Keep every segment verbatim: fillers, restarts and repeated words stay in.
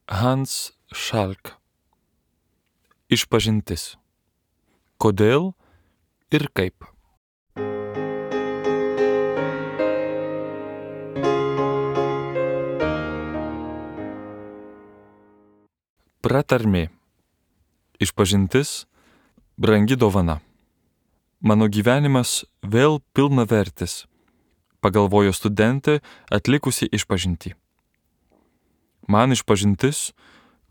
Hans Schalk. Išpažintis. Kodėl ir kaip? Pratarmė. Išpažintis – brangi dovana. Mano gyvenimas vėl pilnavertis, pagalvojo studentė atlikusi išpažintį. Man išpažintis,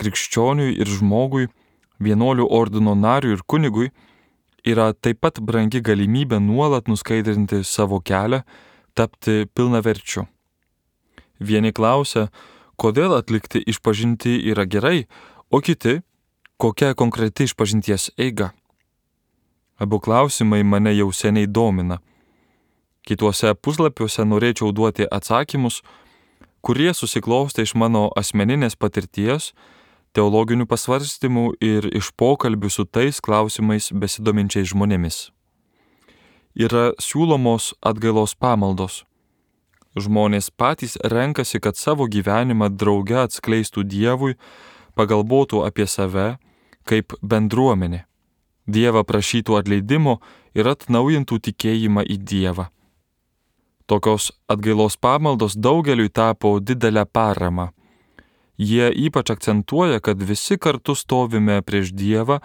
krikščioniui ir žmogui, vienuolių ordino nariui ir kunigui, yra taip pat brangi galimybė nuolat nuskaidrinti savo kelią, tapti pilnaverčiu. Vieni klausia, kodėl atlikti išpažintį yra gerai, o kiti, kokia konkreti išpažinties eiga. Abu klausimai mane jau seniai domina. Kituose puslapiuose norėčiau duoti atsakymus, kurie susiklostė iš mano asmeninės patirties, teologinių pasvarstymų ir iš pokalbių su tais klausimais besidominčiais žmonėmis. Yra siūlomos atgailos pamaldos. Žmonės patys renkasi, kad savo gyvenimą drauge atskleistų Dievui, pagalvotų apie save kaip bendruomenė. Dievą prašytų atleidimo ir atnaujintų tikėjimą į Dievą. Tokios atgailos pamaldos daugeliui tapo didelę paramą. Jie ypač akcentuoja, kad visi kartu stovime prieš Dievą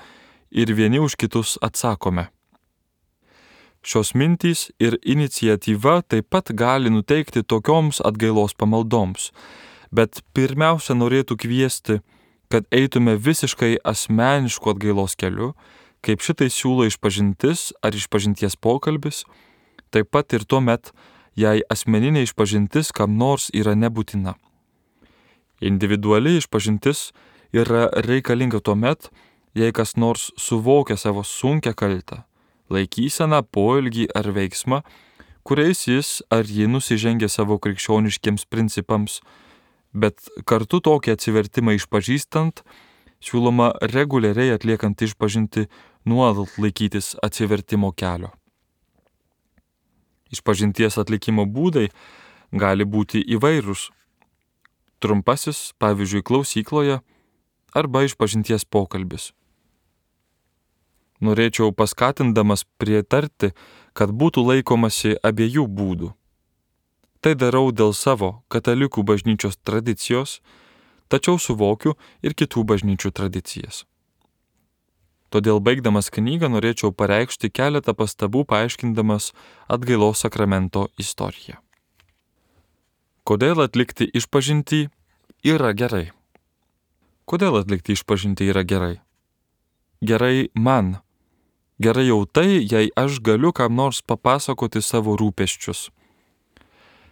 ir vieni už kitus atsakome. Šios mintys ir iniciatyva taip pat gali nuteikti tokioms atgailos pamaldoms, bet pirmiausia norėtų kviesti, kad eitume visiškai asmenišku atgailos keliu, kaip šitai siūlo išpažintis ar išpažinties pokalbis, taip pat ir tuomet, jei asmeninė išpažintis kam nors yra nebūtina. Individuali išpažintis yra reikalinga tuomet, jei kas nors suvokia savo sunkią kaltę, laikyseną, poelgį ar veiksmą, kuriais jis ar ji nusižengia savo krikščioniškiems principams, bet kartu tokį atsivertimą išpažįstant, siūloma reguliariai atliekant išpažintį nuolat laikytis atsivertimo kelio. Išpažinties atlikimo būdai gali būti įvairūs. Trumpasis, pavyzdžiui, klausykloje arba išpažinties pokalbis. Norėčiau paskatindamas pritarti, kad būtų laikomasi abiejų būdų. Tai darau dėl savo katalikų bažnyčios tradicijos, tačiau suvokiu ir kitų bažnyčių tradicijas. Todėl baigdamas knygą norėčiau pareikšti keletą pastabų paaiškindamas atgailos sakramento istoriją. Kodėl atlikti išpažintį yra gerai? Kodėl atlikti išpažintį yra gerai? Gerai man. Gerai jau tai, jei aš galiu kam nors papasakoti savo rūpesčius.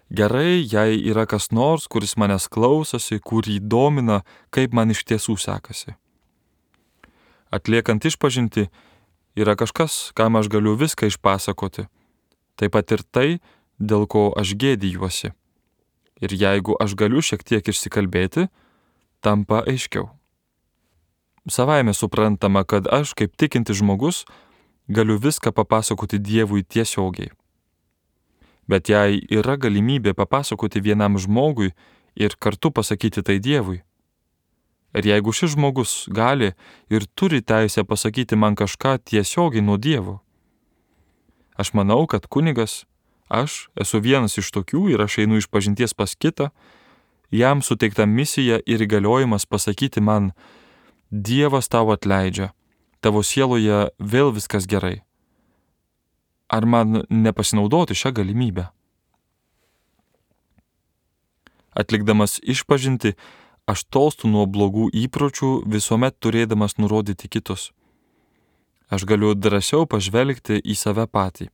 Gerai, jei yra kas nors, kuris manęs klausosi, kurį domina, kaip man iš tiesų sekasi. Atliekant išpažintį yra kažkas, kam aš galiu viską išpasakoti, taip pat ir tai, dėl ko aš gėdijuosi. Ir jeigu aš galiu šiek tiek išsikalbėti, tampa aiškiau. Savaime suprantama, kad aš, kaip tikintis žmogus, galiu viską papasakoti Dievui tiesiogiai. Bet jei yra galimybė papasakoti vienam žmogui ir kartu pasakyti tai Dievui, ir jeigu šis žmogus gali ir turi teisę pasakyti man kažką tiesiogiai nuo Dievo, aš manau, kad kunigas, aš esu vienas iš tokių ir aš einu išpažinties pas kitą, jam suteikta misija ir įgaliojimas pasakyti man, Dievas tau atleidžia, tavo sieloje vėl viskas gerai. Ar man nepasinaudoti šią galimybę? Atlikdamas išpažintį, aš tolstu nuo blogų įpročių, visuomet turėdamas nurodyti kitus. Aš galiu drąsiau pažvelgti į save patį.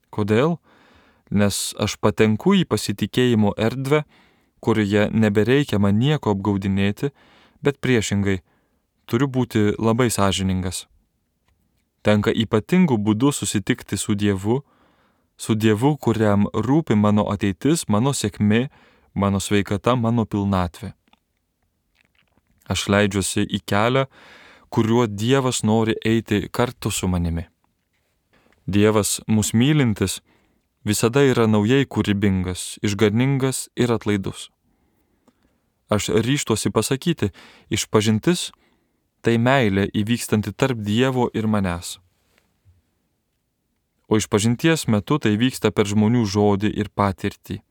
Kodėl? Nes aš patenku į pasitikėjimo erdvę, kurioje nebereikia man nieko apgaudinėti, bet priešingai, turiu būti labai sąžiningas. Tenka ypatingų būdų susitikti su Dievu, su Dievu, kuriam rūpi mano ateitis, mano sėkmė, mano sveikata, mano pilnatvė. Aš leidžiuosi į kelią, kuriuo Dievas nori eiti kartu su manimi. Dievas, mus mylintis, visada yra naujai kūrybingas, išganingas ir atlaidus. aš ryžtuosi pasakyti, išpažintis tai meilė įvykstanti tarp Dievo ir manęs. O išpažinties metu tai vyksta per žmonių žodį ir patirtį.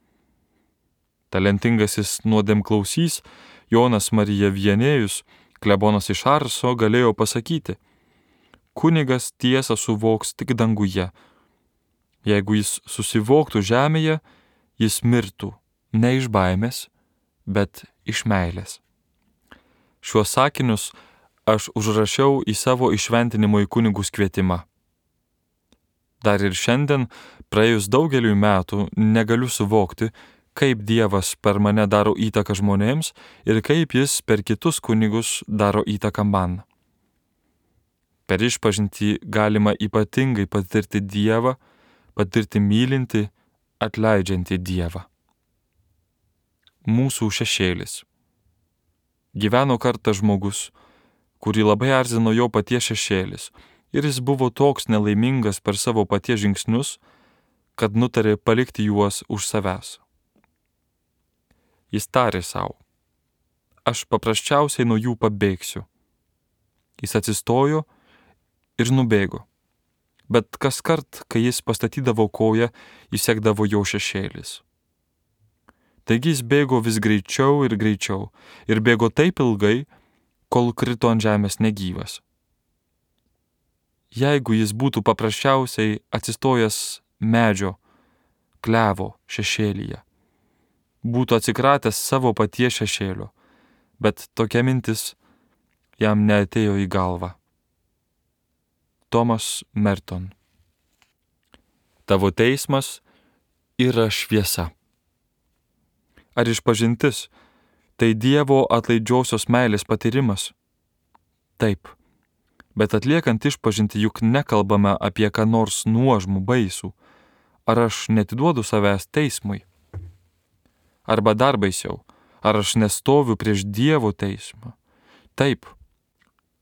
Talentingasis nuodėmklausys Jonas Marija Vienėjus, klebonas iš Arso, galėjo pasakyti: kunigas tiesą suvoks tik danguje. Jeigu jis susivoktų žemėje, jis mirtų ne iš baimės, bet iš meilės. Šiuos sakinius aš užrašiau į savo įšventinimo į kunigus kvietimą. Dar ir šiandien, praėjus daugeliui metų, negaliu suvokti, kaip Dievas per mane daro įtaką žmonėms ir kaip jis per kitus kunigus daro įtaką man. Per išpažintį galima ypatingai patirti Dievą, patirti mylinti, atleidžiantį Dievą. Mūsų šešėlis. Gyveno kartą žmogus, kurį labai erzino jo paties šešėlis, ir jis buvo toks nelaimingas per savo paties žingsnius, kad nutarė palikti juos už savęs. Jis tarė savo: aš paprasčiausiai nuo jų pabėgsiu. Jis atsistojo ir nubėgo, bet kas kart, kai jis pastatydavo koją, įsekdavo jo šešėlis. Taigi jis bėgo vis greičiau ir greičiau ir bėgo taip ilgai, kol krito ant žemės negyvas. Jeigu jis būtų paprasčiausiai atsistojęs medžio, klevo šešėlyje, būtų atsikratęs savo paties šešėlio, bet tokia mintis jam neatėjo į galvą. Thomas Merton. Tavo teismas yra šviesa. Ar išpažintis tai Dievo atlaidžiosios meilės patyrimas? Taip. Bet atliekant išpažinti juk nekalbame apie ką nors nuožmų baisų. Ar aš netiduodu savęs teismui? Arba dar baisiau, ar aš nestoviu prieš Dievo teismą? Taip,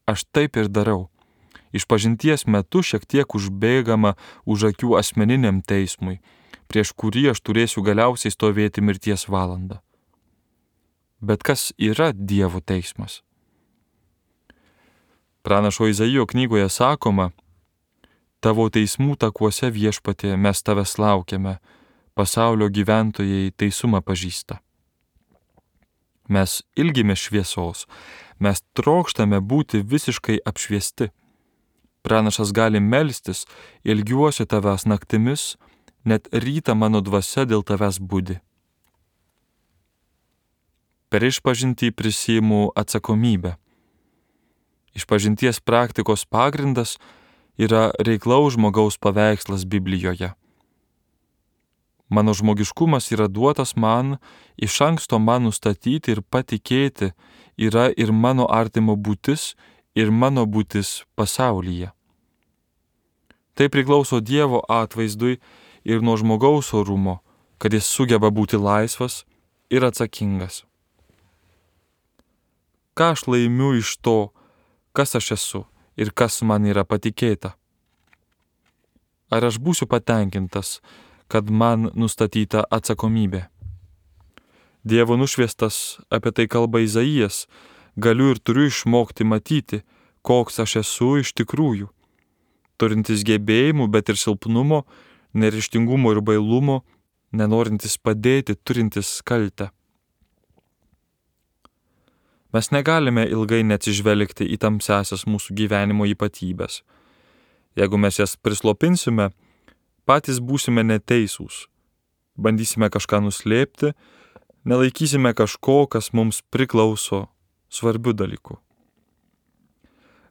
aš taip ir darau. Išpažinties metu šiek tiek užbėgama už akių asmeniniam teismui, prieš kurį aš turėsiu galiausiai stovėti mirties valandą. Bet kas yra Dievo teismas? Pranašo Izaijo knygoje sakoma: tavo teismų takuose, Viešpatie, mes tavęs laukiame, pasaulio gyventojai teisumą pažįsta. Mes ilgimės šviesos, mes trokštame būti visiškai apšviesti. Pranašas gali melstis: ilgiuosi tavęs naktimis, net rytą mano dvasia dėl tavęs budi. Per išpažintį prisiimu atsakomybę. Išpažinties praktikos pagrindas yra reiklaus žmogaus paveikslas Biblijoje. Mano žmogiškumas yra duotas man, iš anksto man nustatyti ir patikėti yra ir mano artimo būtis, ir mano būtis pasaulyje. Tai priklauso Dievo atvaizdui ir nuo žmogaus orumo, kad jis sugeba būti laisvas ir atsakingas. Ką aš laimiu iš to, kas aš esu ir kas man yra patikėta? Ar aš būsiu patenkintas, kad man nustatyta atsakomybė? Dievo nušviestas, apie tai kalba Izaijas, galiu ir turiu išmokti matyti, koks aš esu iš tikrųjų, turintis gebėjimų, bet ir silpnumo, neryžtingumo ir bailumo, nenorintis padėti, turintis kaltę. Mes negalime ilgai neatsižvelgti į tamsiasias mūsų gyvenimo ypatybės. Jeigu mes jas prislopinsime, patys būsime neteisūs, bandysime kažką nuslėpti, nelaikysime kažko, kas mums priklauso svarbių dalykų.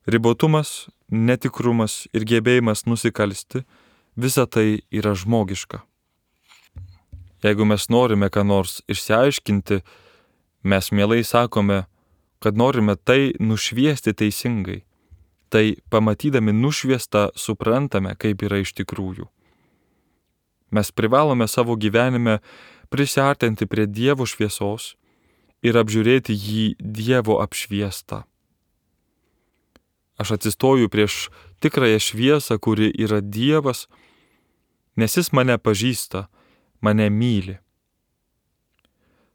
Ribotumas, netikrumas ir gebėjimas nusikalsti – visa tai yra žmogiška. Jeigu mes norime ką nors išsiaiškinti, mes mielai sakome, kad norime tai nušviesti teisingai. Tai pamatydami nušviestą suprantame, kaip yra iš tikrųjų. Mes privalome savo gyvenime prisiartinti prie Dievo šviesos ir apžiūrėti jį Dievo apšviestą. Aš atsistoju prieš tikrąją šviesą, kuri yra Dievas, nes jis mane pažįsta, mane myli.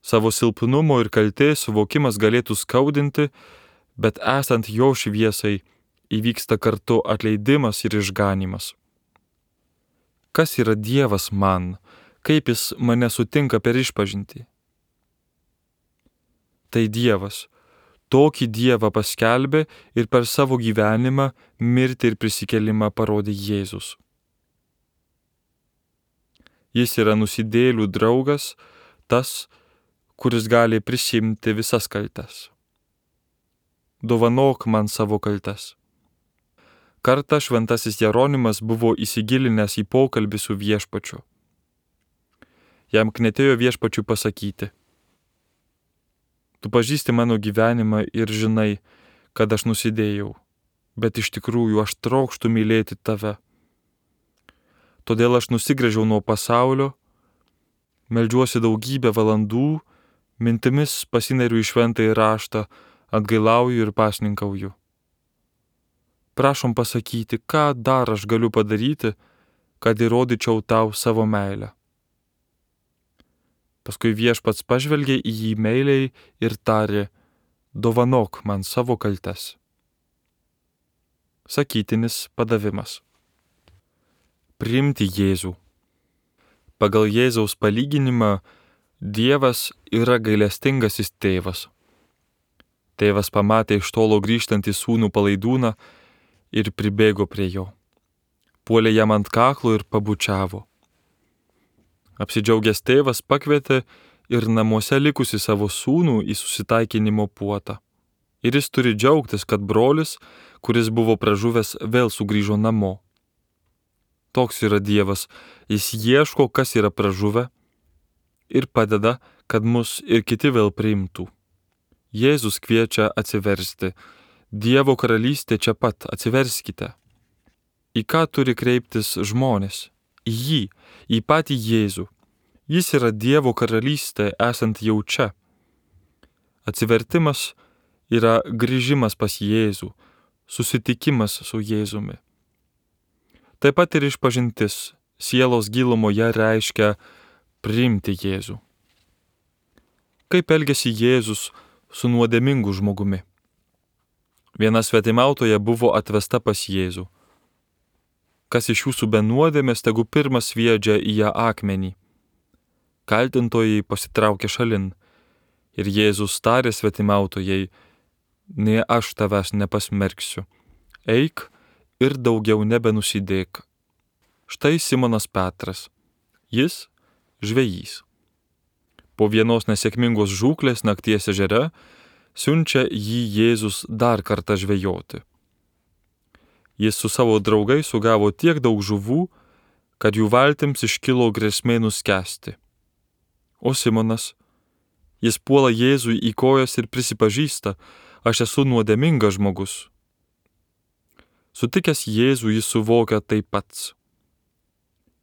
Savo silpnumo ir kaltės suvokimas galėtų skaudinti, bet esant jo šviesai įvyksta kartu atleidimas ir išganimas. Kas yra Dievas man? Kaip jis mane sutinka per išpažintį? Tai Dievas. Tokį Dievą paskelbė ir per savo gyvenimą, mirtį ir prisikėlimą parodė Jėzus. Jis yra nusidėjėlių draugas, tas, kuris gali prisimti visas kaltes. Dovanok man savo kaltes. Kartą šventasis Jeronimas buvo įsigilinęs į pokalbį su viešpačiu. Jam knietėjo viešpačiui pasakyti: Tu pažįsti mano gyvenimą ir žinai, kad aš nusidėjau, bet iš tikrųjų aš trokštu mylėti tave. Todėl aš nusigręžiau nuo pasaulio, meldžiuosi daugybę valandų, mintimis pasineriu į šventąjį raštą, atgailauju ir pasninkauju. Prašom pasakyti, ką dar aš galiu padaryti, kad įrodyčiau tau savo meilę. Paskui viešpats pažvelgė į jį meiliai ir tarė: Dovanok man savo kaltes. Sakytinis padavimas. Priimti Jėzų. Pagal Jėzaus palyginimą Dievas yra gailestingasis tėvas. Tėvas pamatė iš tolo grįžtantį sūnų palaidūną ir pribėgo prie jo. Puolė jam ant kaklo ir pabučiavo. Apsidžiaugęs tėvas pakvietė ir namuose likusi savo sūnų į susitaikinimo puotą. Ir jis turi džiaugtis, kad brolis, kuris buvo pražuvęs, vėl sugrįžo namo. Toks yra Dievas, jis ieško, kas yra pražuvę, ir padeda, kad mus ir kiti vėl priimtų. Jėzus kviečia atsiversti. Dievo karalystė čia pat, atsiverskite. Į ką turi kreiptis žmonės? Į jį, į patį Jėzų. Jis yra Dievo karalystė, esant jau čia. Atsivertimas yra grįžimas pas Jėzų, susitikimas su Jėzumi. Taip pat ir išpažintis sielos gilumoje reiškia priimti Jėzų. Kaip elgėsi Jėzus su nuodėmingu žmogumi? Viena svetimautoja buvo atvesta pas Jėzų. Kas iš jūsų be nuodėmės, tegu pirmas sviedžia į ją akmenį. Kaltintojai pasitraukė šalin, ir Jėzus tarė svetimautojai: Nė aš tavęs nepasmerksiu. Eik ir daugiau nebenusidėk. Štai Simonas Petras. Jis žvejys. Po vienos nesėkmingos žūklės nakties ežere siunčia jį Jėzus dar kartą žvejoti. Jis su savo draugais sugavo tiek daug žuvų, kad jų valtims iškilo grėsmė nuskęsti. O Simonas, jis puola Jėzui į kojas ir prisipažįsta: Aš esu nuodėmingas žmogus. Sutikęs Jėzų jis suvokia tai pats.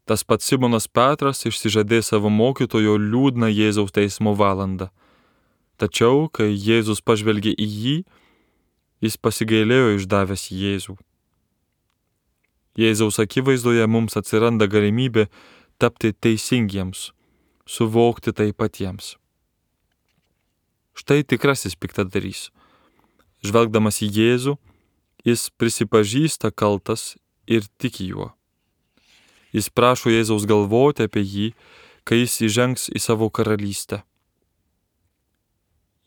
Tas pats Simonas Petras išsižadė savo mokytojo liūdną Jėzaus teismo valandą. Tačiau, kai Jėzus pažvelgė į jį, jis pasigailėjo išdavęs Jėzų. Jėzaus akivaizdoje mums atsiranda galimybė tapti teisingiems, suvokti tai patiems. Štai tikrasis piktadarys. Žvelgdamas į Jėzų, jis prisipažįsta kaltas ir tiki juo. Jis prašo Jėzaus galvoti apie jį, kai jis įžengs į savo karalystę.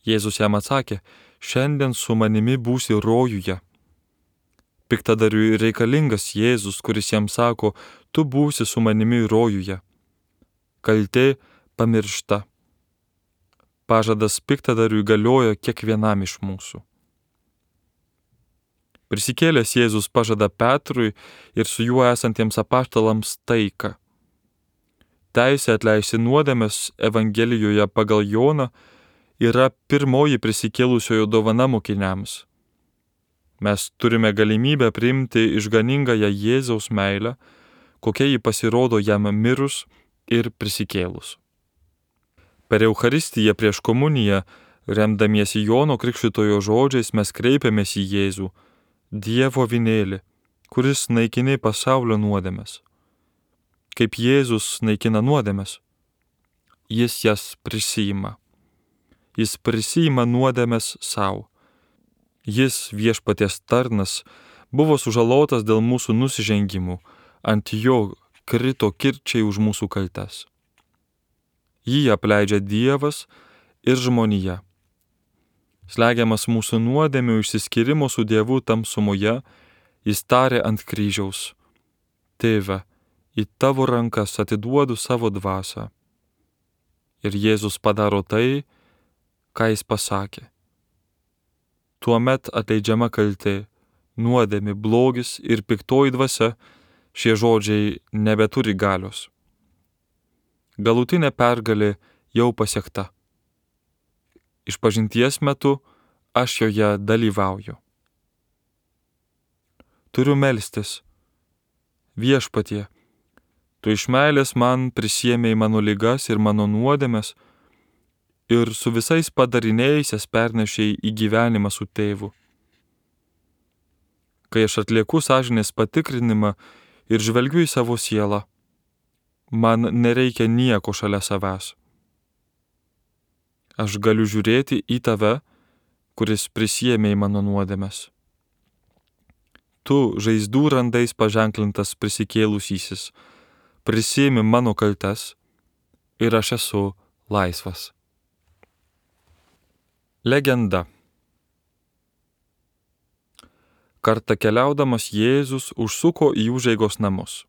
Jėzus jam atsakė: Šiandien su manimi būsi rojuje. Piktadariui reikalingas Jėzus, kuris jam sako: Tu būsi su manimi rojuje. Kaltė pamiršta. Pažadas piktadariui galioja kiekvienam iš mūsų. Prisikėlęs Jėzus pažada Petrui ir su juo esantiems apaštalams taiką. Teisė atleisti nuodėmes Evangelijoje pagal Joną yra pirmoji prisikėlusiojo dovana mokiniams. Mes turime galimybę priimti išganingąją Jėzaus meilę, kokia ji pasirodo jam mirus ir prisikėlus. Per Eucharistiją prieš komuniją, remdamiesi Jono Krikštytojo žodžiais, mes kreipiamės į Jėzų, Dievo avinėlį, kuris naikini pasaulio nuodėmes. Kaip Jėzus naikina nuodėmes, jis jas prisiima. jis prisiima nuodėmes savo. Jis, viešpaties tarnas, buvo sužalotas dėl mūsų nusižengimų, ant jo krito kirčiai už mūsų kaltes. Jį apleidžia Dievas ir žmonija. Slegiamas mūsų nuodėmių išsiskyrimo su Dievu tamsumoje, jis tarė ant kryžiaus: Tėve, į tavo rankas atiduodu savo dvasią. Ir Jėzus padaro tai, ką jis pasakė. Tuomet atleidžiama kaltė, nuodėmė, blogis ir piktoji dvasia, šie žodžiai nebeturi galios. Galutinė pergalė jau pasiekta. Išpažinties metu aš joje dalyvauju. Turiu melstis: Viešpatie, tu iš meilės man prisiėmei mano ligas ir mano nuodėmes ir su visais padariniais jas pernešei į gyvenimą su tėvu. Kai aš atlieku sąžinės patikrinimą ir žvelgiu į savo sielą, man nereikia nieko šalia savęs. Aš galiu žiūrėti į tave, kuris prisiėmei mano nuodėmes. Tu, žaizdų randais paženklintas prisikėlusysis, prisiėmi mano kaltes ir aš esu laisvas. Legenda. Kartą keliaudamas Jėzus užsuko į užeigos namus.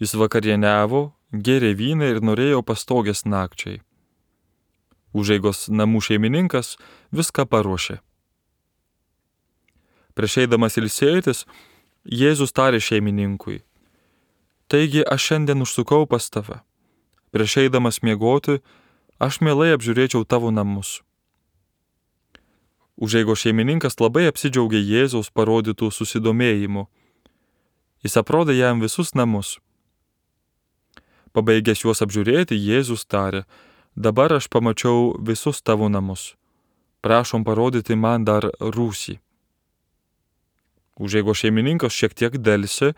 Jis vakarieniavo, gėrė vyną ir norėjo pastogės nakčiai. Užeigos namų šeimininkas viską paruošė. Prieš eidamas ilsėtis, Jėzus tarė šeimininkui: Taigi aš šiandien užsukau pas tave. Prieš eidamas miegoti, aš mielai apžiūrėčiau tavo namus. Užeigos šeimininkas labai apsidžiaugė Jėzaus parodytų susidomėjimu. Jis aprodė jam visus namus. Pabaigęs juos apžiūrėti, Jėzus tarė: Dabar aš pamačiau visus tavo namus. Prašom parodyti man dar rūsį. Užeigos šeimininkas šiek tiek delsė,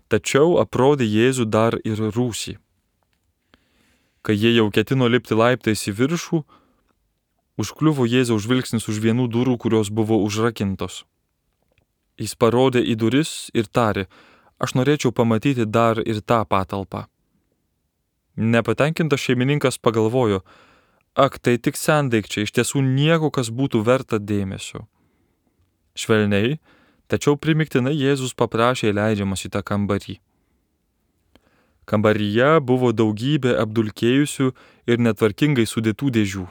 tačiau aprodė Jėzų dar ir rūsį. Kai jie jau ketino lipti laiptais į viršų, užkliuvo Jėzaus žvilgsnis už vienų durų, kurios buvo užrakintos. Jis parodė į duris ir tarė: Aš norėčiau pamatyti dar ir tą patalpą. Nepatenkintas šeimininkas pagalvojo: Ak, tai tik sendaikčiai, iš tiesų nieko, kas būtų verta dėmesio. Švelniai, tačiau primiktinai Jėzus paprašė leidžiamas į tą kambarį. Kambaryje buvo daugybė apdulkėjusių ir netvarkingai sudėtų dėžių.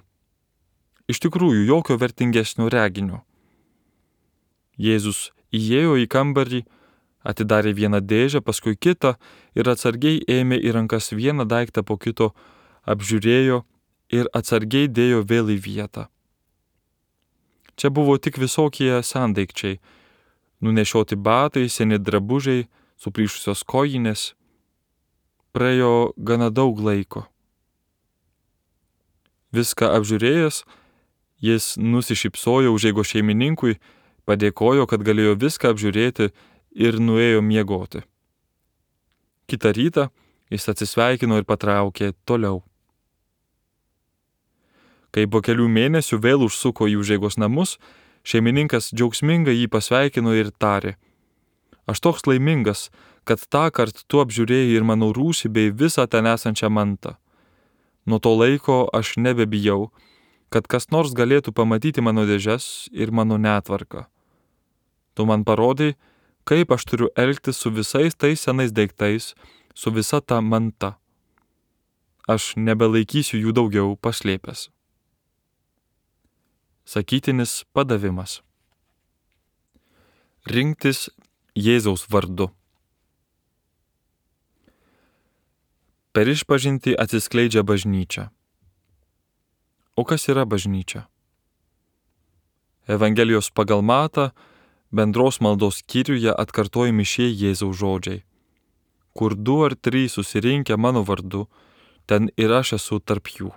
Iš tikrųjų, jokio vertingesnio reginio. Jėzus įėjo į kambarį, atidarė vieną dėžę, paskui kitą ir atsargiai ėmė į rankas vieną daiktą po kito, apžiūrėjo ir atsargiai dėjo vėl į vietą. Čia buvo tik visokie sendaikčiai, nunešioti batai, seni drabužiai, suplyšusios kojinės. Praėjo gana daug laiko. Viską apžiūrėjęs, jis nusišypsojo užeigos šeimininkui, padėkojo, kad galėjo viską apžiūrėti ir nuėjo miegoti. Kitą rytą jis atsisveikino ir patraukė toliau. Kai po kelių mėnesių vėl užsuko į užeigos namus, šeimininkas džiaugsmingai jį pasveikino ir tarė: Aš toks laimingas, kad tą kart tu apžiūrėjai ir mano rūsį bei visą ten esančią mantą. Nuo to laiko aš nebebijau, kad kas nors galėtų pamatyti mano dėžes ir mano netvarką. Tu man parodai, kaip aš turiu elgtis su visais tais senais daiktais, su visa ta manta. Aš nebelaikysiu jų daugiau paslėpęs. Sakytinis padavimas. Rinktis Jėzaus vardu. Per išpažintį atsiskleidžia bažnyčia. O kas yra bažnyčia? Evangelijos pagal Matą bendros maldos skyriuje atkartojami šie Jėzaus žodžiai: Kur du ar trys susirinkę mano vardu, ten ir aš esu tarp jų.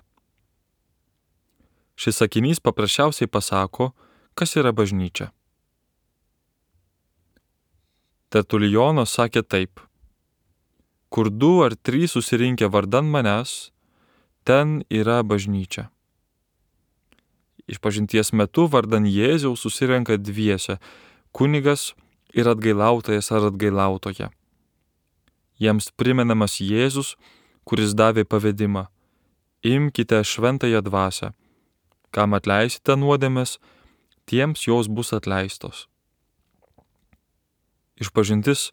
Šis sakinys paprasčiausiai pasako, kas yra bažnyčia. Tertulijonas sakė taip: Kur du ar trys susirinkę vardan manęs, ten yra bažnyčia. Išpažinties metu vardan Jėzaus susirenka dviese – kunigas ir atgailautojas ar atgailautoja. Jiems primenamas Jėzus, kuris davė pavedimą: imkite šventąją dvasią, kam atleisite nuodėmes, tiems jos bus atleistos. Išpažintis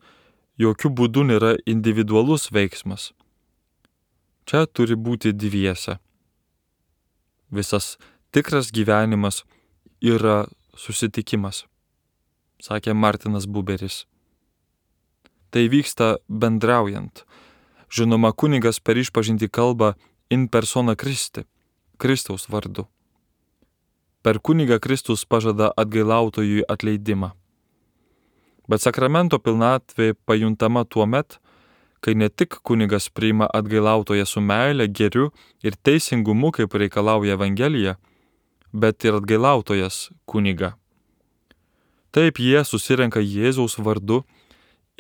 jokių būdų nėra individualus veiksmas. Čia turi būti dviese. Visas tikras gyvenimas yra susitikimas, sakė Martinas Buberis. Tai vyksta bendraujant. Žinoma, kunigas per išpažintį kalba in persona Christi, Kristaus vardu. Per kunigą Kristus pažada atgailautojui atleidimą. Bet sakramento pilnatvė pajuntama tuo met, kai ne tik kunigas priima atgailautoją su meile, gėriu ir teisingumu, kaip reikalauja Evangelija, bet ir atgailautojas kunigą. Taip jie susirenka Jėzaus vardu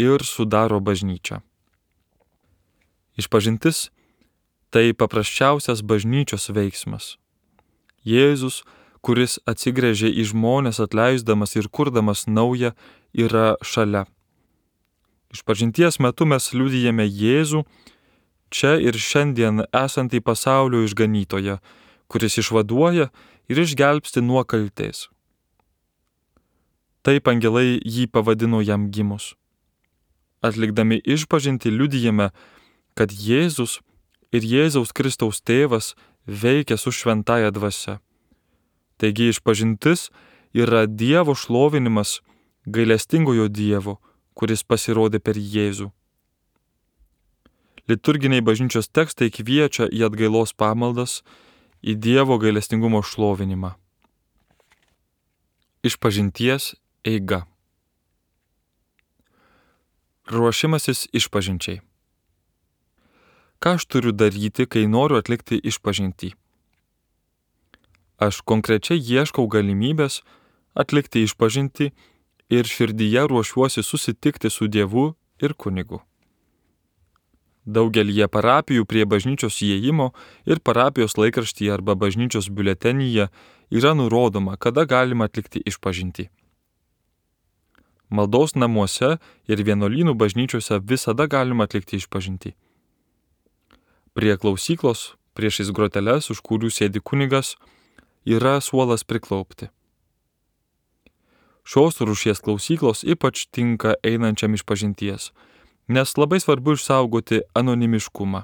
ir sudaro bažnyčią. Išpažintis tai paprasčiausias bažnyčios veiksmas. Jėzus, kuris atsigręžė į žmones atleisdamas ir kurdamas naują, yra šalia. Išpažinties metu mes liudijame Jėzų, čia ir šiandien esantį pasaulio išganytoją, kuris išvaduoja ir išgelbsti nuo kaltės. Taip angelai jį pavadino jam gimus. Atlikdami išpažintį liudijame, kad Jėzus ir Jėzaus Kristaus tėvas veikia su šventąja dvasia. Taigi išpažintis yra Dievo šlovinimas, gailestingojo Dievo, kuris pasirodė per Jėzų. Liturginiai bažnyčios tekstai kviečia į atgailos pamaldas, į Dievo gailestingumo šlovinimą. Išpažinties eiga. Ruošimasis išpažinčiai. Ką aš turiu daryti, kai noriu atlikti išpažintį? Aš konkrečiai ieškau galimybės atlikti išpažintį ir širdyje ruošiuosi susitikti su Dievu ir kunigu. Daugelyje parapijų prie bažnyčios įėjimo ir parapijos laikraštyje arba bažnyčios biuletenyje yra nurodoma, kada galima atlikti išpažintį. Maldos namuose ir vienuolynų bažnyčiose visada galima atlikti išpažintį. Prie klausyklos, priešais groteles, už kurių sėdi kunigas, yra suolas priklaupti. Šios rūšies klausyklos ypač tinka einančiam išpažinties, nes labai svarbu išsaugoti anonimiškumą.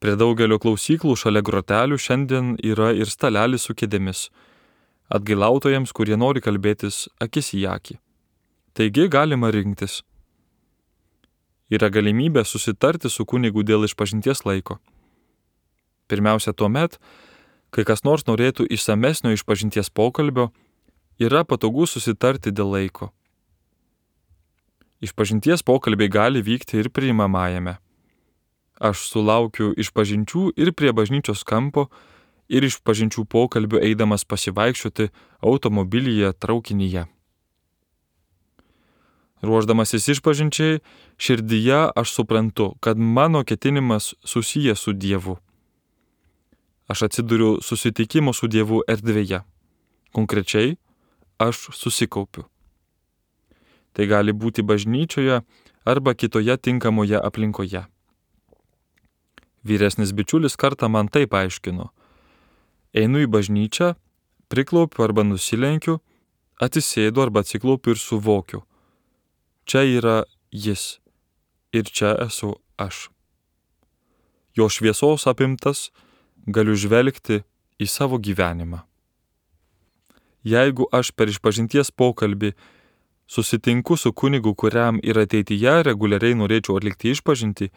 Prie daugelio klausyklų šalia grotelių šiandien yra ir stalelis su kėdėmis, atgailautojams, kurie nori kalbėtis akis į akį. Taigi galima rinktis. Yra galimybė susitarti su kunigu dėl išpažinties laiko. Pirmiausia, tuomet, kai kas nors norėtų išsamesnio išpažinties pokalbio, yra patogu susitarti dėl laiko. Išpažinties pokalbiai gali vykti ir priimamajame. Aš sulaukiu išpažinčių ir prie bažnyčios kampo, ir išpažinčių pokalbių eidamas pasivaikščioti automobilyje, traukinyje. Ruošdamasis išpažinčiai, širdyje aš suprantu, kad mano ketinimas susijęs su Dievu. Aš atsiduriu susitikimo su Dievu erdvėje. Konkrečiai, aš susikaupiu. Tai gali būti bažnyčioje arba kitoje tinkamoje aplinkoje. Vyresnis bičiulis kartą man taip aiškino. Einu į bažnyčią, priklaupiu arba nusilenkiu, atsisėdu arba atsiklaupiu ir suvokiu. Čia yra jis ir čia esu aš. Jo šviesos apimtas galiu žvelgti į savo gyvenimą. Jeigu aš per išpažinties pokalbį susitinku su kunigu, kuriam ir ateityje reguliariai norėčiau atlikti išpažintį,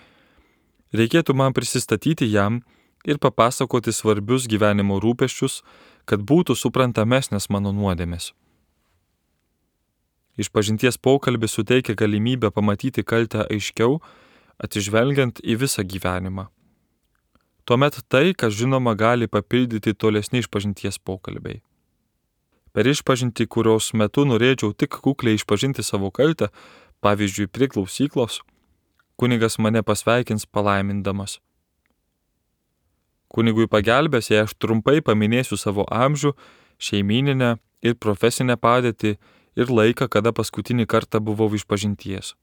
reikėtų man prisistatyti jam ir papasakoti svarbius gyvenimo rūpesčius, kad būtų suprantamesnės mano nuodėmės. Išpažinties pokalbis suteikia galimybę pamatyti kaltę aiškiau, atsižvelgiant į visą gyvenimą. Tuomet tai, kas žinoma, gali papildyti tolesni išpažinties pokalbiai. Per išpažintį, kurios metu norėčiau tik kukliai išpažinti savo kaltę, pavyzdžiui, prie klausyklos, kunigas mane pasveikins palaimindamas. Kunigui pagelbės, jei aš trumpai paminėsiu savo amžių, šeimyninę ir profesinę padėtį ir laiką, kada paskutinį kartą buvau išpažinties.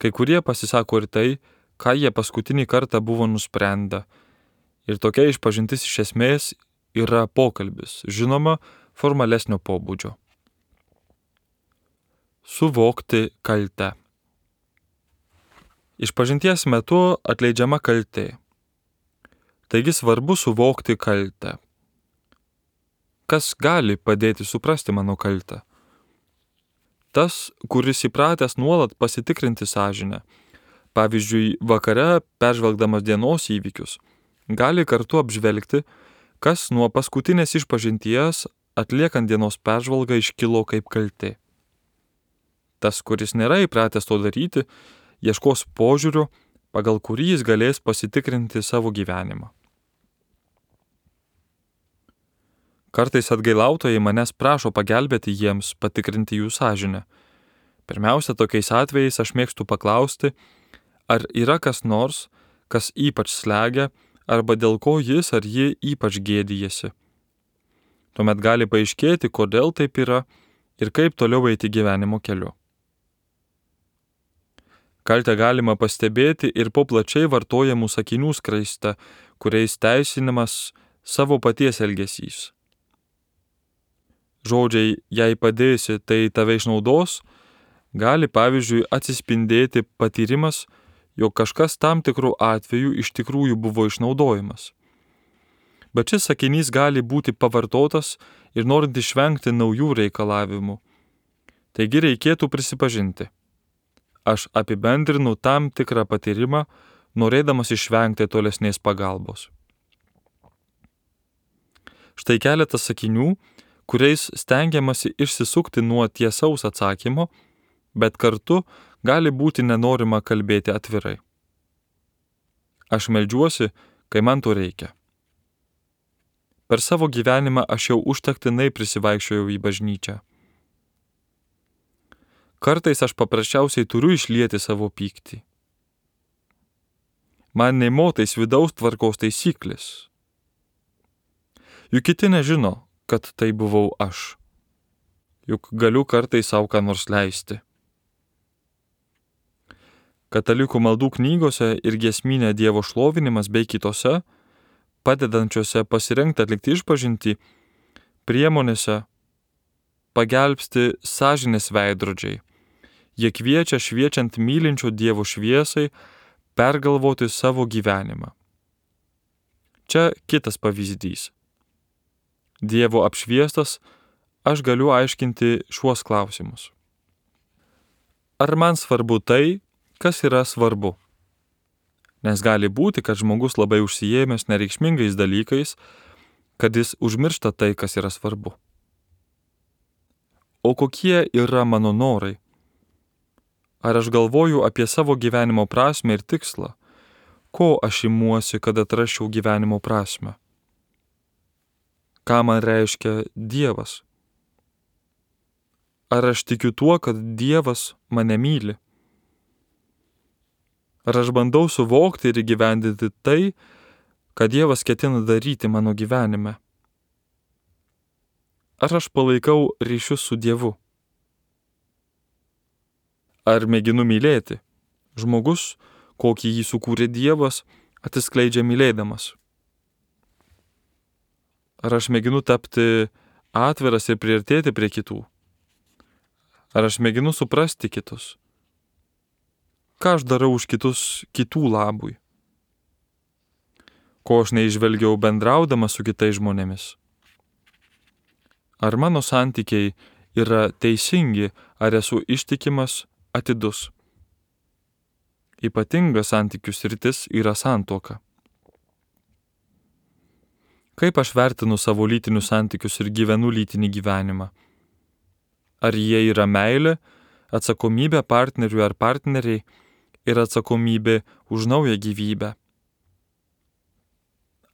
Kai kurie pasisako ir tai, ką jie paskutinį kartą buvo nusprendę. Ir tokia išpažintis iš esmės yra pokalbis, žinoma, formalesnio pobūdžio. Suvokti kaltę. Išpažinties metu atleidžiama kaltė. Taigi svarbu suvokti kaltę. Kas gali padėti suprasti mano kaltę? Tas, kuris įpratęs nuolat pasitikrinti sąžinę. Pavyzdžiui, vakare, peržvelgdamas dienos įvykius, gali kartu apžvelgti, kas nuo paskutinės išpažinties atliekant dienos peržvalgą iškilo kaip kaltė. Tas, kuris nėra įpratęs to daryti, ieškos požiūrio, pagal kurį jis galės pasitikrinti savo gyvenimą. Kartais atgailautojai manęs prašo pagelbėti jiems patikrinti jų sąžinę. Pirmiausia, tokiais atvejais aš mėgstu paklausti, ar yra kas nors, kas ypač slegia, arba dėl ko jis ar ji ypač gėdijasi. Tuomet gali paaiškėti, kodėl taip yra ir kaip toliau eiti gyvenimo keliu. Kaltę galima pastebėti ir po plačiai vartojamų sakinių skraiste, kuriais teisinimas savo paties elgesys. Žodžiai, jei padėsi, tai tave išnaudos, gali pavyzdžiui atsispindėti patyrimas, jog kažkas tam tikrų atvejų iš tikrųjų buvo išnaudojimas. Bet šis sakinys gali būti pavartotas ir norint išvengti naujų reikalavimų. Taigi reikėtų prisipažinti. Aš apibendrinu tam tikrą patyrimą, norėdamas išvengti tolesnės pagalbos. Štai keletas sakinių, kuriais stengiamasi išsisukti nuo tiesaus atsakymo, bet kartu gali būti nenorima kalbėti atvirai. Aš meldžiuosi, kai man to reikia. Per savo gyvenimą aš jau užtektinai prisivaikščiojau į bažnyčią. Kartais aš paprasčiausiai turiu išlieti savo pyktį. Man nei motais vidaus tvarkos taisyklės. Juk kiti nežino, kad tai buvau aš. Juk galiu kartais savo ką nors leisti. Katalikų maldų knygose ir giesminė Dievo šlovinimas bei kitose, padedančiose pasirengti atlikti išpažintį, priemonėse pagelbsti sąžinės veidrodžiai. Jie kviečia šviečiant mylinčio Dievo šviesai pergalvoti savo gyvenimą. Čia kitas pavyzdys. Dievo apšviestas, aš galiu aiškinti šiuos klausimus. Ar man svarbu tai, kas yra svarbu? Nes gali būti, kad žmogus labai užsiėmęs nereikšmingais dalykais, kad jis užmiršta tai, kas yra svarbu. O kokie yra mano norai? Ar aš galvoju apie savo gyvenimo prasmę ir tikslą? Ko aš imuosi, kad atrasčiau gyvenimo prasmę? Ką man reiškia Dievas? Ar aš tikiu tuo, kad Dievas mane myli? Ar aš bandau suvokti ir įgyvendinti tai, ką Dievas ketina daryti mano gyvenime? Ar aš palaikau ryšius su Dievu? Ar mėginu mylėti? Žmogus, kokį jį sukūrė Dievas, atsiskleidžia mylėdamas. Ar aš mėginu tapti atviras ir priartėti prie kitų? Ar aš mėginu suprasti kitus? Ką aš darau už kitus kitų labui? Ko aš neižvelgiau bendraudamas su kitais žmonėmis? Ar mano santykiai yra teisingi, ar esu ištikimas, atidus? Ypatinga santykių sritis yra santuoka. Kaip aš vertinu savo lytinius santykius ir gyvenu lytinį gyvenimą? Ar jie yra meilė, atsakomybė partneriui ar partneriai ir atsakomybė už naują gyvybę?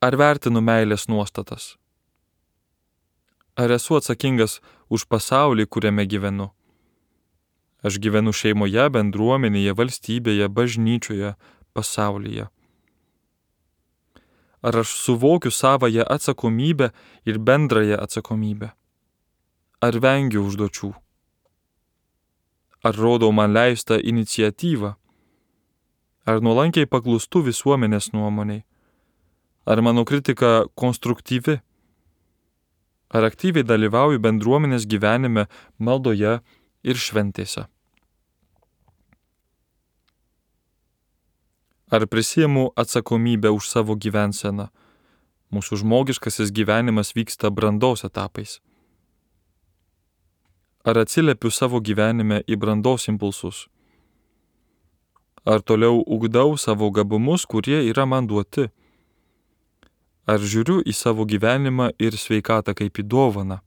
Ar vertinu meilės nuostatas? Ar esu atsakingas už pasaulį, kuriame gyvenu? Aš gyvenu šeimoje, bendruomenėje, valstybėje, bažnyčioje, pasaulyje. Ar aš suvokiu savąją atsakomybę ir bendrąją atsakomybę? Ar vengiu užduočių? Ar rodau man leistą iniciatyvą? Ar nuolankiai paklūstu visuomenės nuomoniai? Ar mano kritika konstruktyvi? Ar aktyviai dalyvauju bendruomenės gyvenime, maldoje ir šventėse? Ar prisiimu atsakomybę už savo gyvenseną? Mūsų žmogiškasis gyvenimas vyksta brandos etapais. Ar atsiliepiu savo gyvenime į brandos impulsus? Ar toliau ugdau savo gabumus, kurie yra man duoti? Ar žiūriu į savo gyvenimą ir sveikatą kaip į dovaną?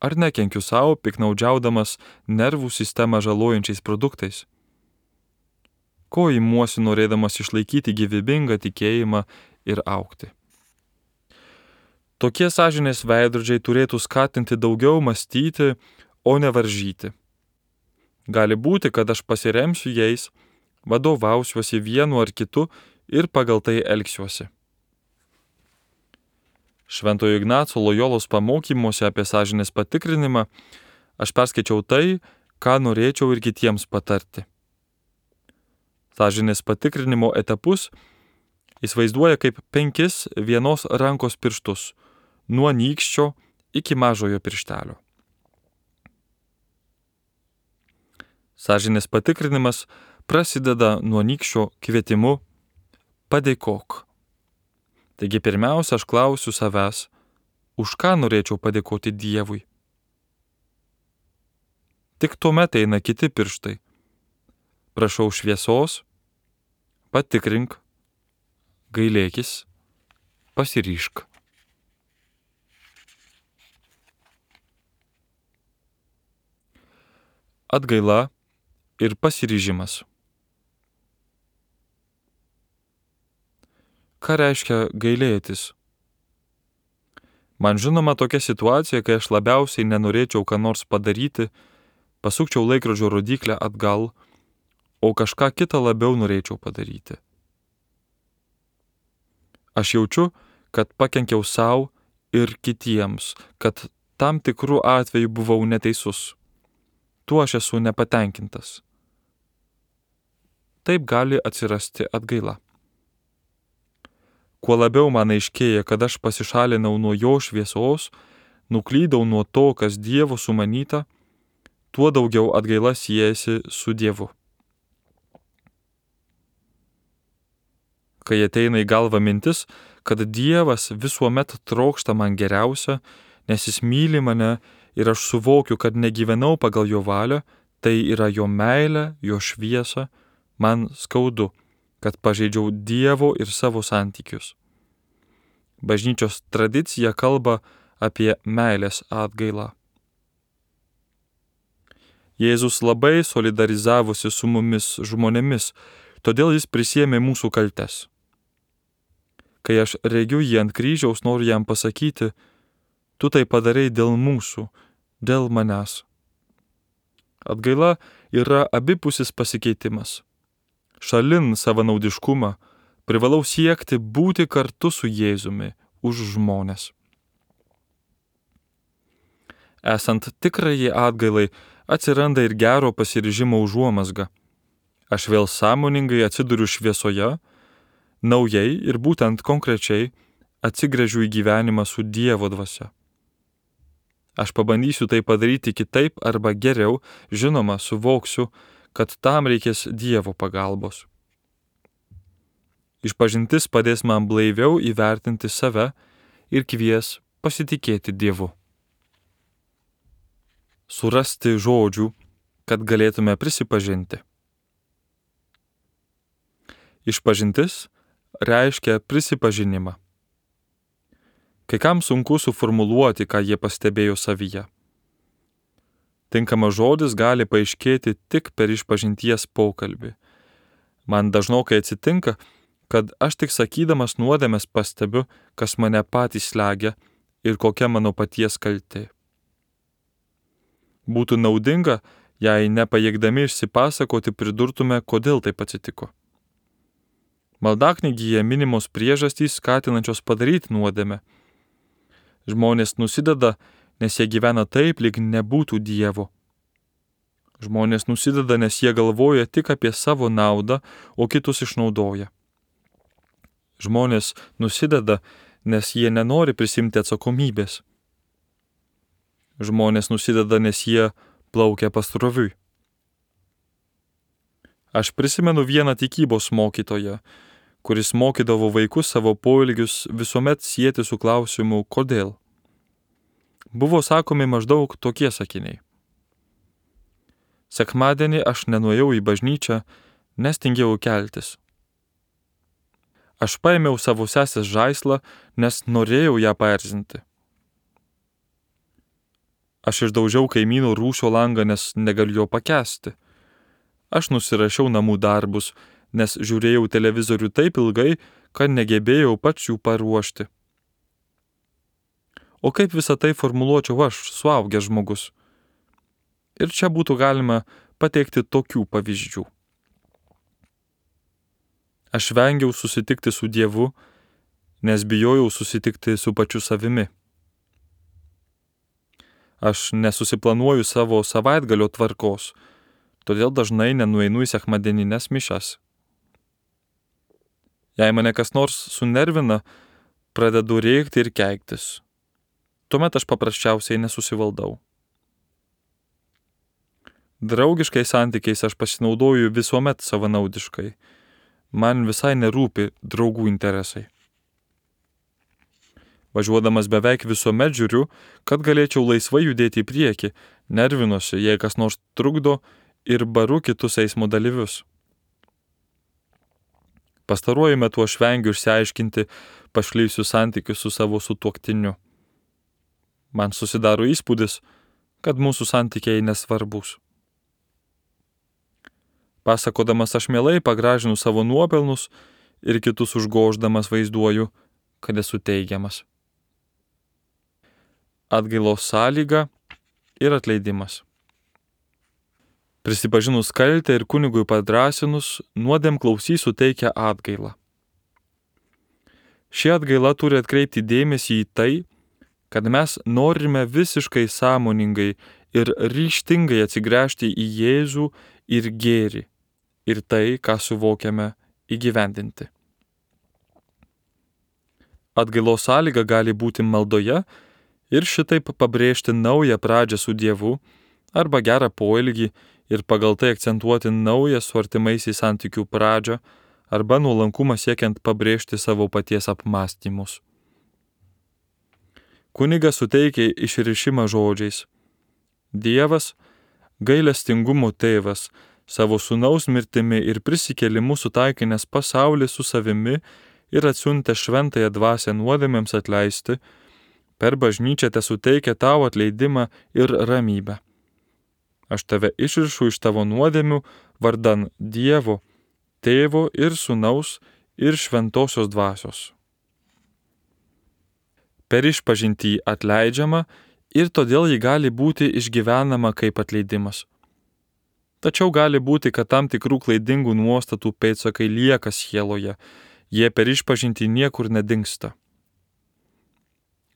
Ar nekenkiu savo, piknaudžiaudamas nervų sistemą žalojančiais produktais? Ko imuosi norėdamas išlaikyti gyvybingą tikėjimą ir augti? Tokie sąžinės veidrodžiai turėtų skatinti daugiau mąstyti, o ne varžyti. Gali būti, kad aš pasiremsiu jais, vadovausiuosi vienu ar kitu ir pagal tai elgsiuosi. Šventojo Ignaco Lojolos pamokymuose apie sąžinės patikrinimą aš perskaičiau tai, ką norėčiau ir kitiems patarti. Sąžinės patikrinimo etapus jis vaizduoja kaip penkis vienos rankos pirštus, nuo nykščio iki mažojo pirštelio. Sąžinės patikrinimas prasideda nuo nykščio kvietimu padėkok. Taigi pirmiausia, aš klausiu savęs, už ką norėčiau padėkoti Dievui. Tik tuomet eina kiti pirštai. Prašau šviesos, patikrink, gailėkis, pasiryžk. Atgaila ir pasiryžimas. Ką reiškia gailėtis? Man žinoma tokia situacija, kai aš labiausiai nenorėčiau ką nors padaryti, pasukčiau laikrodžio rodyklę atgal, o kažką kitą labiau norėčiau padaryti. Aš jaučiu, kad pakenkiau savo ir kitiems, kad tam tikrų atveju buvau neteisus. Tuo aš esu nepatenkintas. Taip gali atsirasti atgaila. Kuo labiau man aiškėja, kad aš pasišalinau nuo jo šviesos, nuklydau nuo to, kas Dievo sumanyta, tuo daugiau atgaila siejasi su Dievu. Kai ateina į galvą mintis, kad Dievas visuomet trokšta man geriausia, nes jis myli mane ir aš suvokiu, kad negyvenau pagal jo valią, tai yra jo meilė, jo šviesa, man skaudu, kad pažeidžiau Dievo ir savo santykius. Bažnyčios tradicija kalba apie meilės atgailą. Jėzus labai solidarizavosi su mumis žmonėmis, todėl jis prisiėmė mūsų kaltes. Kai aš regiu jį ant kryžiaus, noriu jam pasakyti, tu tai padarai dėl mūsų, dėl manęs. Atgaila yra abipusis pasikeitimas. Šalin savanaudiškumą, privalau siekti būti kartu su Jėzumi už žmones. Esant tikrajai atgailai, atsiranda ir gero pasiryžimo užuomazga. Aš vėl sąmoningai atsiduriu šviesoje, naujai ir būtent konkrečiai atsigręžiu į gyvenimą su Dievo dvasia. Aš pabandysiu tai padaryti kitaip arba geriau, žinoma, suvoksiu, kad tam reikės Dievo pagalbos. Išpažintis padės man blaiviau įvertinti save ir kvies pasitikėti Dievu. Surasti žodžių, kad galėtume prisipažinti. Išpažintis reiškia prisipažinimą. Kai kam sunku suformuluoti, ką jie pastebėjo savyje. Tinkamas žodis gali paaiškėti tik per išpažinties pokalbį. Man dažnokai atsitinka, kad aš tik sakydamas nuodėmes pastebiu, kas mane patys slegia ir kokia mano paties kaltė. Būtų naudinga, jei nepajėgdami išsipasakoti pridurtume, kodėl taip atsitiko. Maldaknygyje minimos priežastys skatinančios padaryti nuodėmę. Žmonės nusideda, nes jie gyvena taip, lyg nebūtų Dievo. Žmonės nusideda, nes jie galvoja tik apie savo naudą, o kitus išnaudoja. Žmonės nusideda, nes jie nenori prisimti atsakomybės. Žmonės nusideda, nes jie plaukia pasroviui. Aš prisimenu vieną tikybos mokytoją, kuris mokydavo vaikus savo poelgius visuomet sieti su klausimu kodėl. Buvo sakomi maždaug tokie sakiniai. Sekmadienį aš nenuėjau į bažnyčią, nes tingėjau keltis. Aš paėmiau savo sesės žaislą, nes norėjau ją paerzinti. Aš išdaužiau kaimyno rūsio langą, nes negaliu jo pakęsti. Aš nusirašiau namų darbus, nes žiūrėjau televizorių taip ilgai, kad negebėjau pats jų paruošti. O kaip visą tai formuluočiau aš, suaugęs žmogus? Ir čia būtų galima pateikti tokių pavyzdžių. Aš vengiau susitikti su Dievu, nes bijojau susitikti su pačiu savimi. Aš nesusiplanuoju savo savaitgalio tvarkos, todėl dažnai nenueinu į sekmadieninės mišias. Jei mane kas nors sunervina, pradedu rėkti ir keiktis. Tuomet aš paprasčiausiai nesusivaldau. Draugiškais santykiais aš pasinaudoju visuomet savanaudiškai. Man visai nerūpi draugų interesai. Važiuodamas beveik visuomet žiūriu, kad galėčiau laisvai judėti į priekį, nervinuosi, jei kas nors trukdo ir baru kitus eismo dalyvius. Pastaruoju metu aš vengiu išsiaiškinti pašlyjusius santykius su savo sutuoktiniu. Man susidaro įspūdis, kad mūsų santykiai nesvarbus. Pasakodamas aš mielai pagražinu savo nuopelnus ir kitus užgoždamas vaizduoju, kad esu teigiamas. Atgailos sąlyga ir atleidimas. Prisipažinus kaltę ir kunigui padrąsinus, nuodėmklausys suteikia atgailą. Ši atgaila turi atkreipti dėmesį į tai, kad mes norime visiškai sąmoningai ir ryžtingai atsigręžti į Jėzų ir gėrį, ir tai, ką suvokiame, įgyvendinti. Atgailos sąlyga gali būti maldoje ir šitaip pabrėžti naują pradžią su Dievu arba gerą poelgį ir pagal tai akcentuoti naują su artimaisiais santykių pradžią arba nuolankumą siekiant pabrėžti savo paties apmąstymus. Kunigas suteikia išrišimą žodžiais. Dievas, gailestingumo tėvas, savo sūnaus mirtimi ir prisikėlimu sutaikinęs pasaulį su savimi ir atsiuntę šventąją dvasią nuodėmėms atleisti, per bažnyčią tesuteikia tau atleidimą ir ramybę. Aš tave išrišu iš tavo nuodėmių vardan Dievo, Tėvo ir Sūnaus ir Šventosios dvasios. Per išpažintį atleidžiama ir todėl ji gali būti išgyvenama kaip atleidimas. Tačiau gali būti, kad tam tikrų klaidingų nuostatų pėdsakai lieka sieloje, jie per išpažintį niekur nedingsta.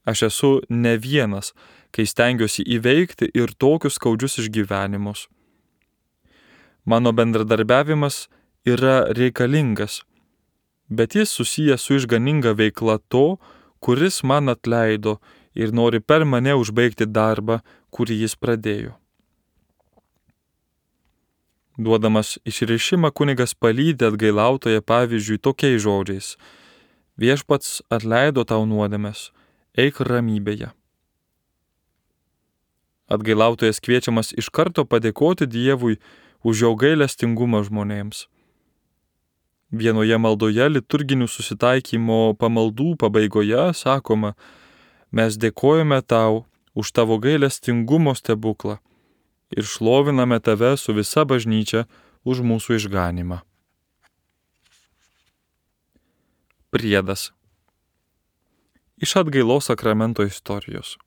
Aš esu ne vienas, kai stengiuosi įveikti ir tokius skaudžius išgyvenimus. Mano bendradarbiavimas yra reikalingas, bet jis susijęs su išganinga veikla to, kuris man atleido ir nori per mane užbaigti darbą, kurį jis pradėjo. Duodamas išrišimą kunigas palydi atgailautoją pavyzdžiui tokiais žodžiais: Viešpats atleido tau nuodėmes, eik ramybėje. Atgailautojas kviečiamas iš karto padėkoti Dievui už jo gailestingumą žmonėms. Vienoje maldoje liturginių susitaikymo pamaldų pabaigoje sakoma: Mes dėkojame tau už tavo gailestingumo stebuklą ir šloviname tave su visa bažnyčia už mūsų išganymą. Priedas. Iš atgailos sakramento istorijos.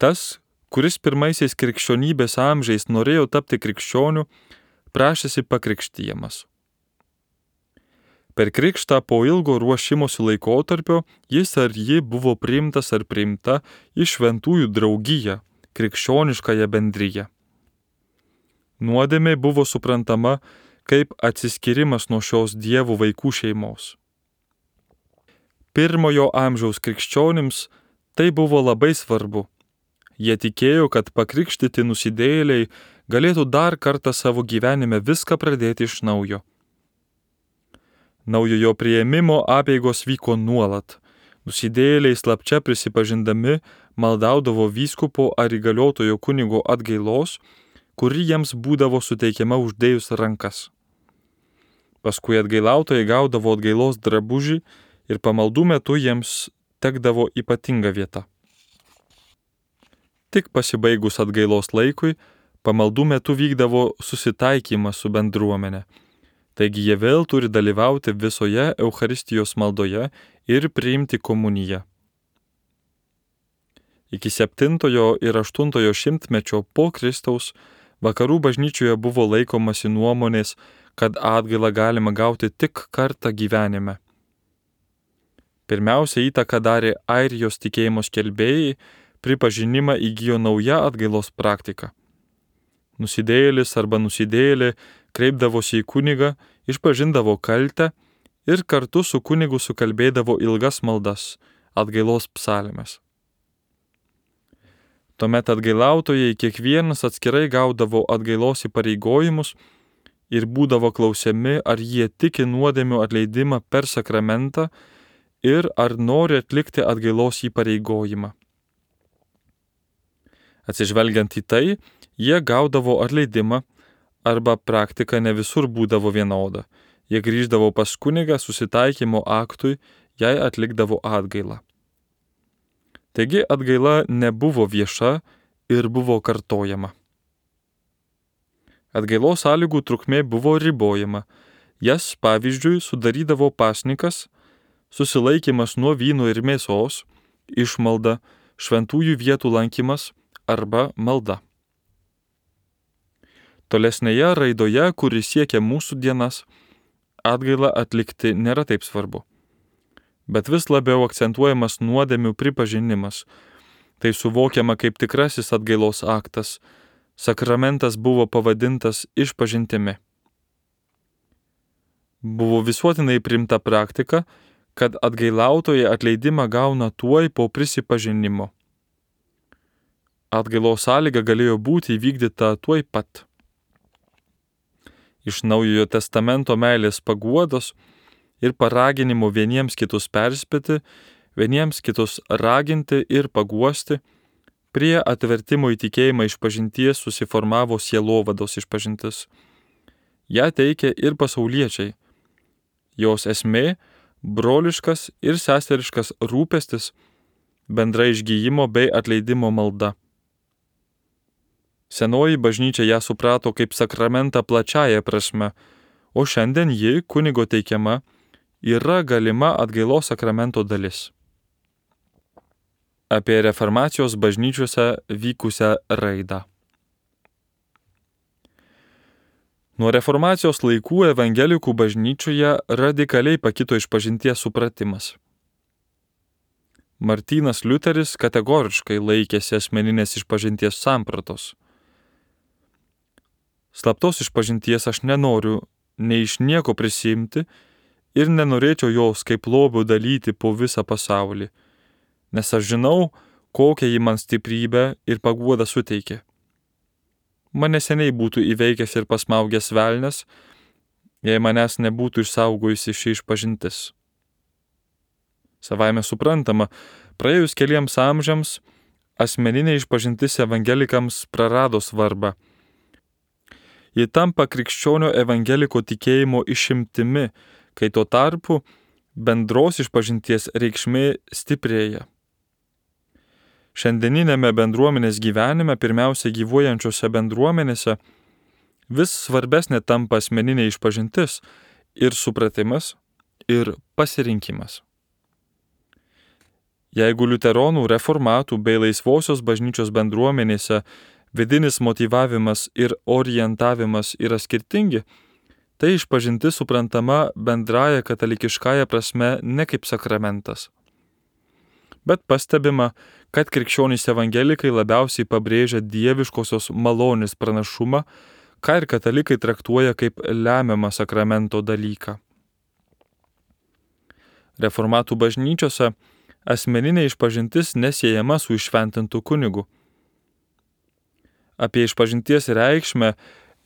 Tas, kuris pirmaisiais krikščionybės amžiais norėjo tapti krikščioniu, prašėsi pakrikštijamas. Per krikštą po ilgo ruošimosi laikotarpio jis ar ji buvo priimtas ar priimta į šventųjų draugiją, krikščioniškąją bendriją. Nuodėmė buvo suprantama kaip atsiskyrimas nuo šios Dievo vaikų šeimos. Pirmojo amžiaus krikščionims tai buvo labai svarbu. Jie tikėjo, kad pakrikštyti nusidėjėliai galėtų dar kartą savo gyvenime viską pradėti iš naujo. Naujojo priėmimo apeigos vyko nuolat. Nusidėjėliai slapčia prisipažindami maldaudavo vyskupo ar įgaliotojo kunigo atgailos, kuri jiems būdavo suteikiama uždėjus rankas. Paskui atgailautojai gaudavo atgailos drabužį ir pamaldų metu jiems tekdavo ypatinga vieta. Tik pasibaigus atgailos laikui, pamaldų metu vykdavo susitaikymas su bendruomenė. Taigi jie vėl turi dalyvauti visoje Eucharistijos maldoje ir priimti komuniją. Iki septintojo ir aštuntojo šimtmečio po Kristaus vakarų bažnyčioje buvo laikomasi nuomonės, kad atgailą galima gauti tik kartą gyvenime. Pirmiausia įtaką darė Airijos tikėjimo skelbėjai, pripažinimą įgijo nauja atgailos praktika. Nusidėjėlis arba nusidėjėlė kreipdavosi į kunigą, išpažindavo kaltę ir kartu su kunigu sukalbėdavo ilgas maldas, atgailos psalmes. Tuomet atgailautojai kiekvienas atskirai gaudavo atgailos įpareigojimus ir būdavo klausiami, ar jie tiki nuodėmių atleidimą per sakramentą ir ar nori atlikti atgailos įpareigojimą. Atsižvelgiant į tai, jie gaudavo atleidimą, arba praktika ne visur būdavo vienoda. Jie grįždavo pas kunigą susitaikymo aktui, jei atlikdavo atgailą. Taigi atgaila nebuvo vieša ir buvo kartojama. Atgailos sąlygų trukmė buvo ribojama. Jas, pavyzdžiui, sudarydavo pasnikas, susilaikymas nuo vyno ir mėsos, išmalda, šventųjų vietų lankymas arba malda. Tolesnėje raidoje, kuri siekia mūsų dienas, atgailą atlikti nėra taip svarbu. Bet vis labiau akcentuojamas nuodėmių pripažinimas. Tai suvokiama kaip tikrasis atgailos aktas. Sakramentas buvo pavadintas išpažintimi. Buvo visuotinai priimta praktika, kad atgailautojai atleidimą gauna tuoj po prisipažinimo. Atgailos sąlyga galėjo būti įvykdyta tuoj pat. Iš Naujojo testamento meilės paguodos ir paraginimo vieniems kitus perspėti, vieniems kitus raginti ir paguosti, prie atvertimo į tikėjimą išpažinties susiformavo sielovados išpažintis. Ja teikia ir pasauliečiai. Jos esmė – broliškas ir seseriškas rūpestis, bendra išgyjimo bei atleidimo malda. Senoji bažnyčia ją suprato kaip sakramentą plačiaja prasme, o šiandien ji, kunigo teikiama, yra galima atgailos sakramento dalis. Apie reformacijos bažnyčiose vykusią raidą. Nuo reformacijos laikų evangelikų bažnyčioje radikaliai pakito išpažinties supratimas. Martynas Liuteris kategoriškai laikėsi asmeninės išpažinties sampratos. Slaptos išpažinties aš nenoriu nei iš nieko prisiimti ir nenorėčiau jos kaip lobių dalyti po visą pasaulį, nes aš žinau, kokią ji man stiprybę ir paguodą suteikė. Mane seniai būtų įveikęs ir pasmaugęs velnias, jei manęs nebūtų išsaugojusi ši išpažintis. Savaime suprantama, praėjus keliems amžiams, asmeninė išpažintis evangelikams prarado svarbą. Ji tampa krikščionio evangeliko tikėjimo išimtimi, kai tuo tarpu bendros išpažinties reikšmė stiprėja. Šiandieninėme bendruomenės gyvenime, pirmiausia gyvuojančiose bendruomenėse, vis svarbesnė tampa asmeninė išpažintis ir supratimas, ir pasirinkimas. Jeigu liuteronų, reformatų bei laisvosios bažnyčios bendruomenėse vidinis motyvavimas ir orientavimas yra skirtingi, tai išpažintis suprantama bendraja katalikiškąja prasme ne kaip sakramentas. Bet pastebima, kad krikščionys evangelikai labiausiai pabrėžia dieviškosios malonės pranašumą, ką ir katalikai traktuoja kaip lemiamą sakramento dalyką. Reformatų bažnyčiose asmeninė išpažintis nesiejama su iššventintu kunigu. Apie išpažinties reikšmę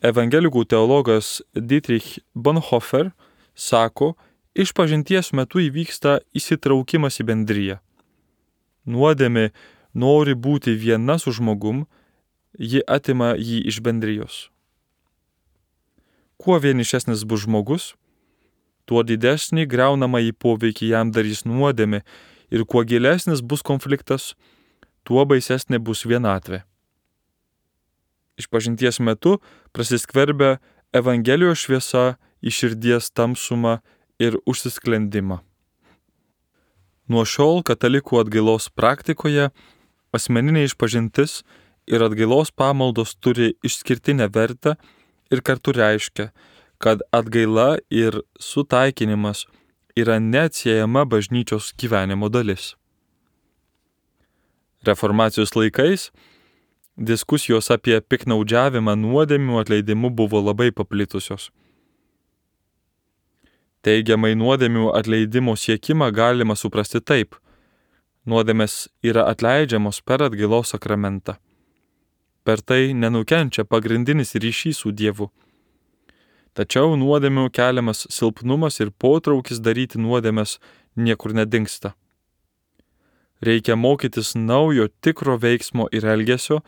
evangelikų teologas Dietrich Bonhoeffer sako, išpažinties metu įvyksta įsitraukimas į bendriją. Nuodėmė nori būti viena su žmogum, ji atima jį iš bendrijos. Kuo vienišesnis bus žmogus, tuo didesnį griaunamąjį poveikį jam darys nuodėmė ir kuo gilesnis bus konfliktas, tuo baisesnė bus vienatvė. Išpažinties metu prasiskverbia Evangelijos šviesa į širdies tamsumą ir užsisklendimą. Nuo šiol katalikų atgailos praktikoje asmeninė išpažintis ir atgailos pamaldos turi išskirtinę vertę ir kartu reiškia, kad atgaila ir sutaikinimas yra neatsiejama bažnyčios gyvenimo dalis. Reformacijos laikais diskusijos apie piknaudžiavimą nuodėmių atleidimu buvo labai paplitusios. Teigiamai nuodėmių atleidimo siekimą galima suprasti taip. Nuodėmės yra atleidžiamos per atgailos sakramentą. Per tai nenukenčia pagrindinis ryšys su Dievu. Tačiau nuodėmių keliamas silpnumas ir potraukis daryti nuodėmes niekur nedingsta. Reikia mokytis naujo tikro veiksmo ir elgesio,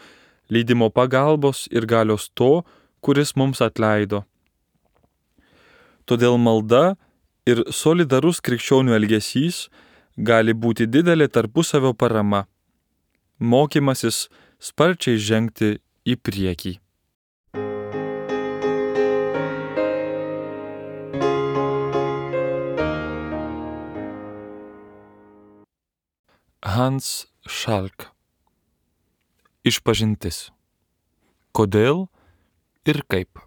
lydimo pagalbos ir galios to, kuris mums atleido. Todėl malda ir solidarus krikščionių elgesys gali būti didelė tarpusavio parama, mokymasis sparčiai žengti į priekį. Hans Schalk. Išpažintis. Kodėl ir kaip?